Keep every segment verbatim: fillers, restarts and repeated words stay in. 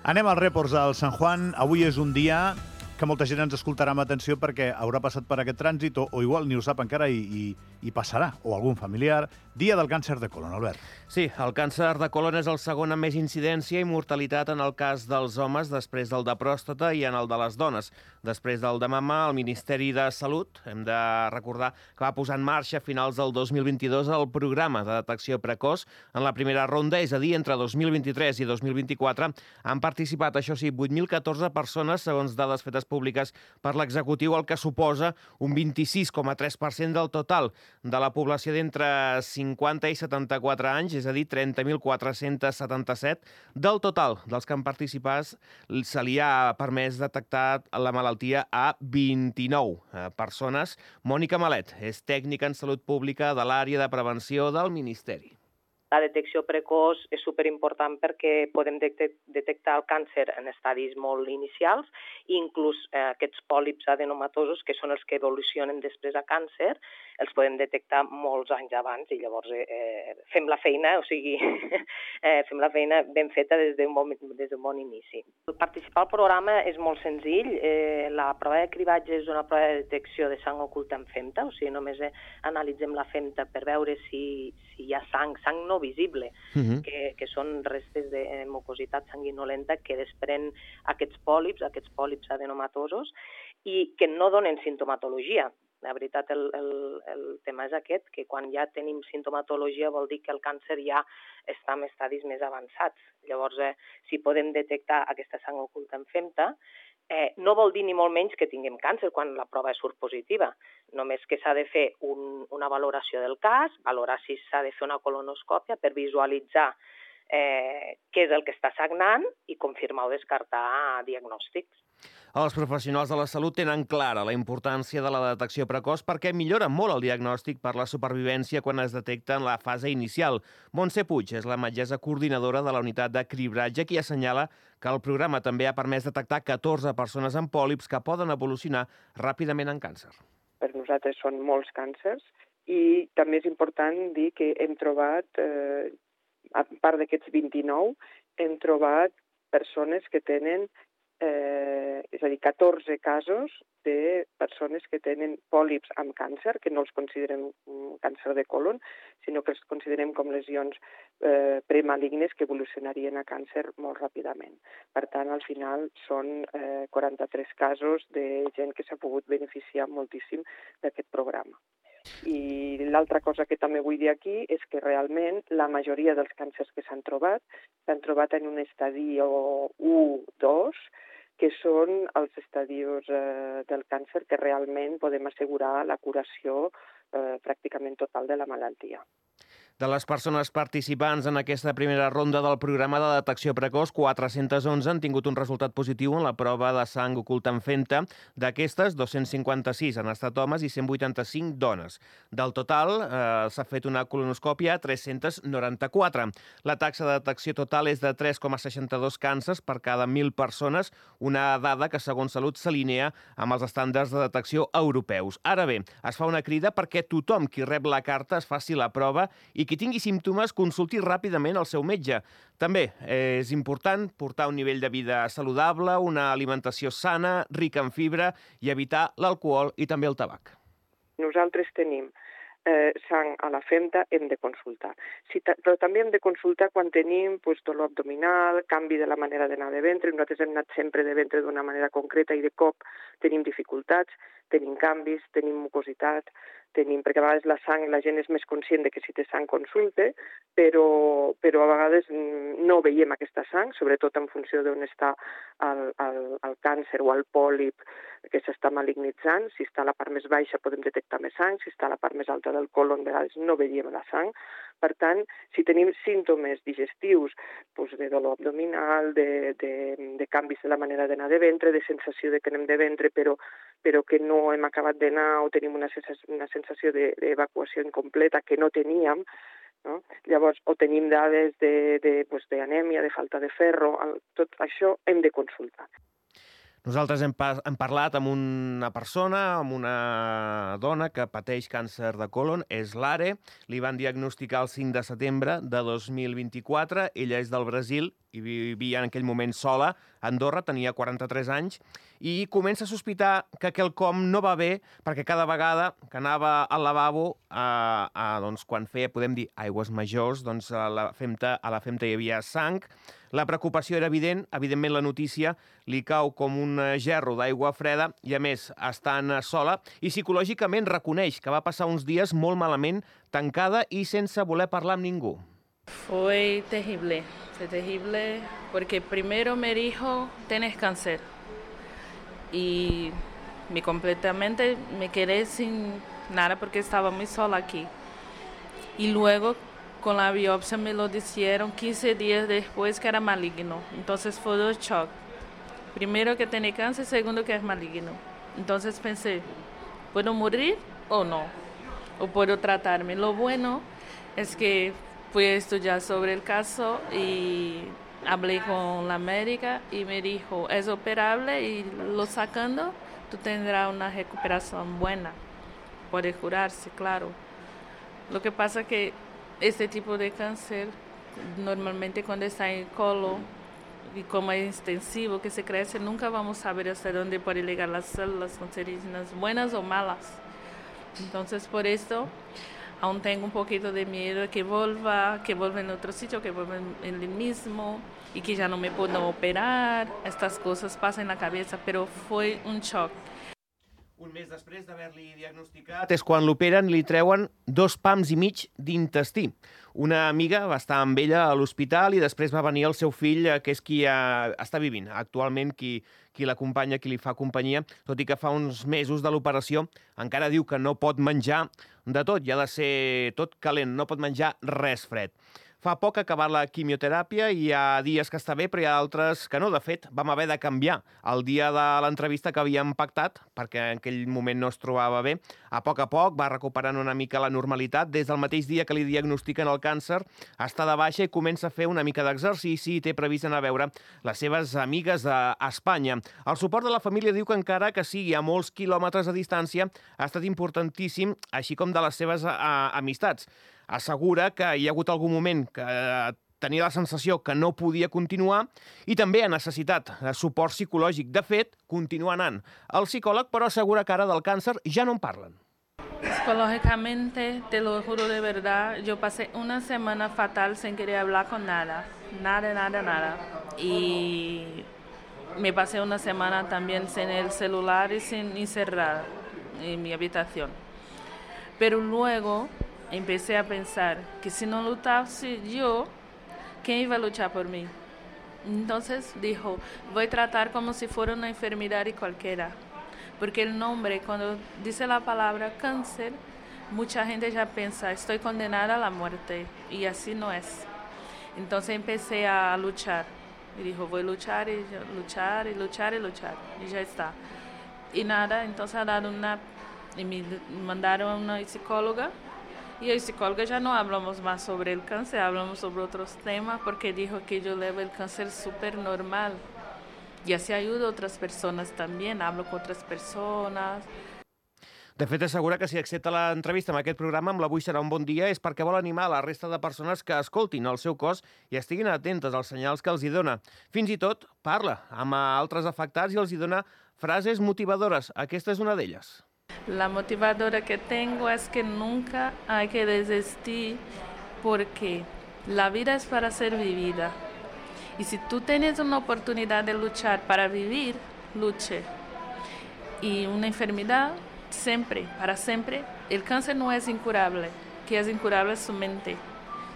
Anem als reports del Sant Juan. Avui és un dia que molta gent ens escoltarà amb atenció perquè haurà passat per aquest trànsit o, o igual ni ho sap encara i, i, i passarà, o algun familiar. Dia del càncer de colon, Albert. Sí, el càncer de colon és el segon amb més incidència i mortalitat en el cas dels homes, després del de pròstata i en el de les dones. Després del de mama, el Ministeri de Salut, hem de recordar que va posar en marxa a finals del dos mil vint-i-dos el programa de detecció precoç. En la primera ronda, és a dir, entre dos mil vint-i-tres i dos mil vint-i-quatre, han participat, això sí, vuit mil catorze persones, segons dades fetes públiques per l'executiu, el que suposa un vint-i-sis coma tres per cent del total de la població d'entre cinquanta i setanta-quatre anys, és a dir, trenta mil quatre-cents setanta-set. Del total dels que han participat, se li ha permès detectar la malaltia a vint-i-nou persones. Mònica Malet és tècnica en salut pública de l'àrea de prevenció del Ministeri. La detecció precoç és superimportant perquè podem detectar el càncer en estadis molt inicials i inclús eh, aquests pòlips adenomatosos, que són els que evolucionen després a càncer, els podem detectar molts anys abans i llavors eh, fem la feina, o sigui, eh, fem la feina ben feta des d'un bon, des d'un bon inici. Participar al programa és molt senzill. Eh, la prova de cribatge és una prova de detecció de sang oculta en femta, o sigui, només eh, analitzem la femta per veure si, si hi ha sang, sang no visible, uh-huh. que, que són restes de mucositat sanguinolenta que desprèn aquests pòlips, aquests pòlips adenomatosos, i que no donen sintomatologia. La veritat, el, el, el tema és aquest, que quan ja tenim sintomatologia vol dir que el càncer ja està en estadis més avançats. Llavors, eh, si podem detectar aquesta sang oculta en femta, Eh, no vol dir ni molt menys que tinguem càncer quan la prova surt positiva. Només que s'ha de fer un, una valoració del cas, valorar si s'ha de fer una colonoscòpia per visualitzar eh, què és el que està sagnant i confirmar o descartar diagnòstics. Els professionals de la salut tenen clara la importància de la detecció precoç perquè millora molt el diagnòstic per la supervivència quan es detecta en la fase inicial. Montse Puig és la metgessa coordinadora de la unitat de cribratge qui assenyala que el programa també ha permès detectar catorze persones amb pòlips que poden evolucionar ràpidament en càncer. Per nosaltres són molts càncers i també és important dir que hem trobat, eh, a part d'aquests vint-i-nou, hem trobat persones que tenen Eh, és a dir, catorze casos de persones que tenen pòlips amb càncer, que no els considerem un càncer de colon, sinó que els considerem com lesions eh, premalignes que evolucionarien a càncer molt ràpidament. Per tant, al final són eh, quaranta-tres casos de gent que s'ha pogut beneficiar moltíssim d'aquest programa. I l'altra cosa que també vull dir aquí és que realment la majoria dels càncers que s'han trobat s'han trobat en un estadio u dos, que són els estadios eh, del càncer que realment podem assegurar la curació eh, pràcticament total de la malaltia. De les persones participants en aquesta primera ronda del programa de detecció precoç, quatre-cents onze han tingut un resultat positiu en la prova de sang oculta en femta. D'aquestes, dos-cents cinquanta-sis han estat homes i cent vuitanta-cinc dones. Del total, eh, s'ha fet una colonoscòpia a tres-cents noranta-quatre. La taxa de detecció total és de tres coma seixanta-dos càncers per cada mil persones, una dada que, segons Salut, s'alinea amb els estàndards de detecció europeus. Ara bé, es fa una crida perquè tothom qui rep la carta es faci la prova i qui tingui símptomes consulti ràpidament el seu metge. També és important portar un nivell de vida saludable, una alimentació sana, rica en fibra i evitar l'alcohol i també el tabac. Nosaltres tenim eh, sang a la femta, hem de consultar. Si però també hem de consultar quan tenim pues, dolor abdominal, canvi de la manera d'anar de ventre. Nosaltres hem anat sempre de ventre d'una manera concreta i de cop tenim dificultats, tenim canvis, tenim mucositat, tenim, perquè a vegades la sang, la gent és més conscient de que si té sang consulte, però, però a vegades no veiem aquesta sang, sobretot en funció d'on està el, el, el càncer o el pòlip que s'està malignitzant. Si està a la part més baixa podem detectar més sang, si està a la part més alta del colon, a vegades no veiem la sang. Per tant, si tenim símptomes digestius, doncs de dolor abdominal, de, de, de canvis de la manera d'anar de ventre, de sensació de que anem de ventre però, però que no hem acabat d'anar o tenim una sensació, una sensació d'evacuació incompleta que no teníem, no? Llavors, o tenim dades d'anèmia, de, de, de falta de ferro, tot això hem de consultar. Nosaltres hem, pa hem parlat amb una persona, amb una dona que pateix càncer de colon, és l'Are, li van diagnosticar el cinc de setembre de dos mil vint-i-quatre, ella és del Brasil, i vivia en aquell moment sola a Andorra, tenia quaranta-tres anys, i comença a sospitar que quelcom no va bé perquè cada vegada que anava al lavabo, a, a, doncs, quan feia, podem dir, aigües majors, doncs a la femta, a la femta hi havia sang. La preocupació era evident, evidentment la notícia li cau com un gerro d'aigua freda i, a més, estant sola, i psicològicament reconeix que va passar uns dies molt malament, tancada i sense voler parlar amb ningú. Fue terrible, fue terrible porque primero me dijo, tienes cáncer. Y me completamente me quedé sin nada porque estaba muy sola aquí. Y luego con la biopsia me lo dijeron quince días después que era maligno. Entonces fue un shock. Primero que tenía cáncer, segundo que es maligno. Entonces pensé, ¿puedo morir o no? ¿O puedo tratarme? Lo bueno es que fui a estudiar sobre el caso y hablé con la médica y me dijo, es operable y lo sacando, tú tendrás una recuperación buena. Puede curarse, claro. Lo que pasa es que este tipo de cáncer, normalmente cuando está en el colon y como es extensivo que se crece, nunca vamos a saber hasta dónde puede llegar las células cancerígenas, buenas o malas. Entonces, por esto, aún tengo un poquito de miedo que vuelva, que vuelva en otro sitio, que vuelva en el mismo y que ya no me puedan operar. Estas cosas pasan en la cabeza, pero fue un shock. Un mes després d'haver-li diagnosticat és quan l'operen, li treuen dos pams i mig d'intestí. Una amiga va estar amb ella a l'hospital i després va venir el seu fill, que és qui ha, està vivint actualment, qui, qui l'acompanya, qui li fa companyia, tot i que fa uns mesos de l'operació encara diu que no pot menjar de tot, i ha de ser tot calent, no pot menjar res fred. Fa poc ha acabat la quimioteràpia i hi ha dies que està bé, però hi ha altres que no. De fet, vam haver de canviar el dia de l'entrevista que havíem pactat, perquè en aquell moment no es trobava bé. A poc a poc va recuperant una mica la normalitat. Des del mateix dia que li diagnostiquen el càncer, està de baixa i comença a fer una mica d'exercici i té previst anar a veure les seves amigues a Espanya. El suport de la família diu que encara que sigui a molts quilòmetres de distància ha estat importantíssim, així com de les seves a, amistats. Assegura que hi ha hagut algun moment que tenia la sensació que no podia continuar i també ha necessitat suport psicològic. De fet, continua anant al psicòleg, però assegura que ara del càncer ja no en parlen. Psicológicamente, te lo juro de verdad, yo pasé una semana fatal sin querer hablar con nada, nada, nada, nada. Y me pasé una semana también sin el celular y sin encerrar en mi habitación. Pero luego empecé a pensar que si no luchase yo, ¿quién iba a luchar por mí? Entonces dijo, voy a tratar como si fuera una enfermedad y cualquiera. Porque el nombre, cuando dice la palabra cáncer, mucha gente ya piensa, estoy condenada a la muerte. Y así no es. Entonces empecé a luchar. Y dijo, voy a luchar y luchar y luchar y luchar. Y ya está. Y nada, entonces ha dado una... Y me mandaron a una psicóloga. Y el psicólogo ya no hablamos más sobre el cáncer, hablamos sobre otros temas porque dijo que yo llevo el cáncer súper normal. Y así ayudo a otras personas también, hablo con otras personas. De fet, assegura que si accepta l'entrevista amb aquest programa, amb l'Avui serà un bon dia, és perquè vol animar la resta de persones que escoltin el seu cos i estiguin atentes als senyals que els hi dona. Fins i tot parla amb altres afectats i els hi dona frases motivadores. Aquesta és una d'elles. La motivadora que tengo es que nunca hay que desistir porque la vida es para ser vivida. Y si tú tienes una oportunidad de luchar para vivir, luche. Y una enfermedad, siempre, para siempre, el cáncer no es incurable. Que es incurable es su mente.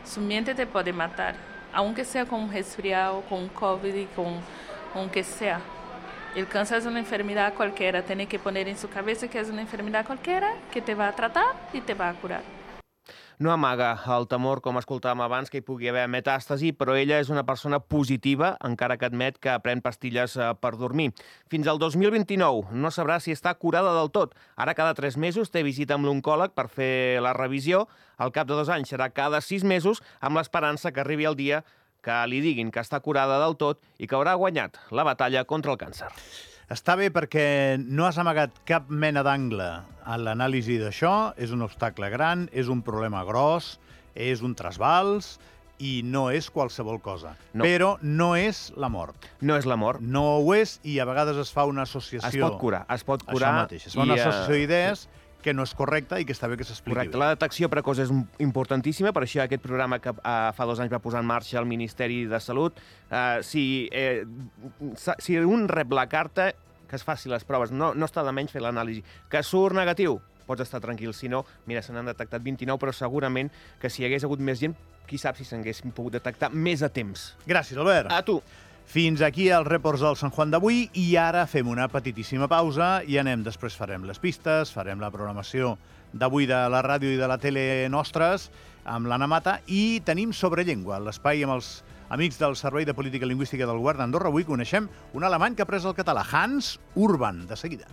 Su mente te puede matar, aunque sea con un resfriado, con COVID, con aunque sea. El cáncer es una enfermedad cualquiera, tiene que poner en su cabeza que es una enfermedad cualquiera que te va a tratar y te va a curar. No amaga el temor, com escoltàvem abans, que hi pugui haver metàstasi, però ella és una persona positiva, encara que admet que pren pastilles per dormir. Fins al dos mil vint-i-nou no sabrà si està curada del tot. Ara cada tres mesos té visita amb l'oncòleg per fer la revisió. Al cap de dos anys serà cada sis mesos, amb l'esperança que arribi el dia que li diguin que està curada del tot i que haurà guanyat la batalla contra el càncer. Està bé perquè no has amagat cap mena d'angle a l'anàlisi d'això. És un obstacle gran, és un problema gros, és un trasbals i no és qualsevol cosa. No. Però no és la mort. No és la mort. No ho és, i a vegades es fa una associació... Es pot curar, es pot curar. Això mateix, es fa una i, associació uh, d'idees que no és correcta i que està bé que s'expliqui Correcte. bé. La detecció precoç és importantíssima, per això aquest programa que uh, fa dos anys va posar en marxa el Ministeri de Salut, uh, si, eh, si un rep la carta, que es faci les proves, no, no està de menys fer l'anàlisi. Que surt negatiu, pots estar tranquil. Si no, mira, se n'han detectat vint-i-nou, però segurament que si hi hagués hagut més gent, qui sap si s'haguessin pogut detectar més a temps. Gràcies, Albert. A tu. Fins aquí els reports del Sant Juan d'avui, i ara fem una petitíssima pausa i anem, després farem les pistes, farem la programació d'avui de la ràdio i de la tele nostres amb l'Anna Mata, i tenim Sobre Llengua, l'espai amb els amics del Servei de Política Lingüística del Govern d'Andorra. Avui coneixem un alemany que ha après el català, Hans Urban. De seguida.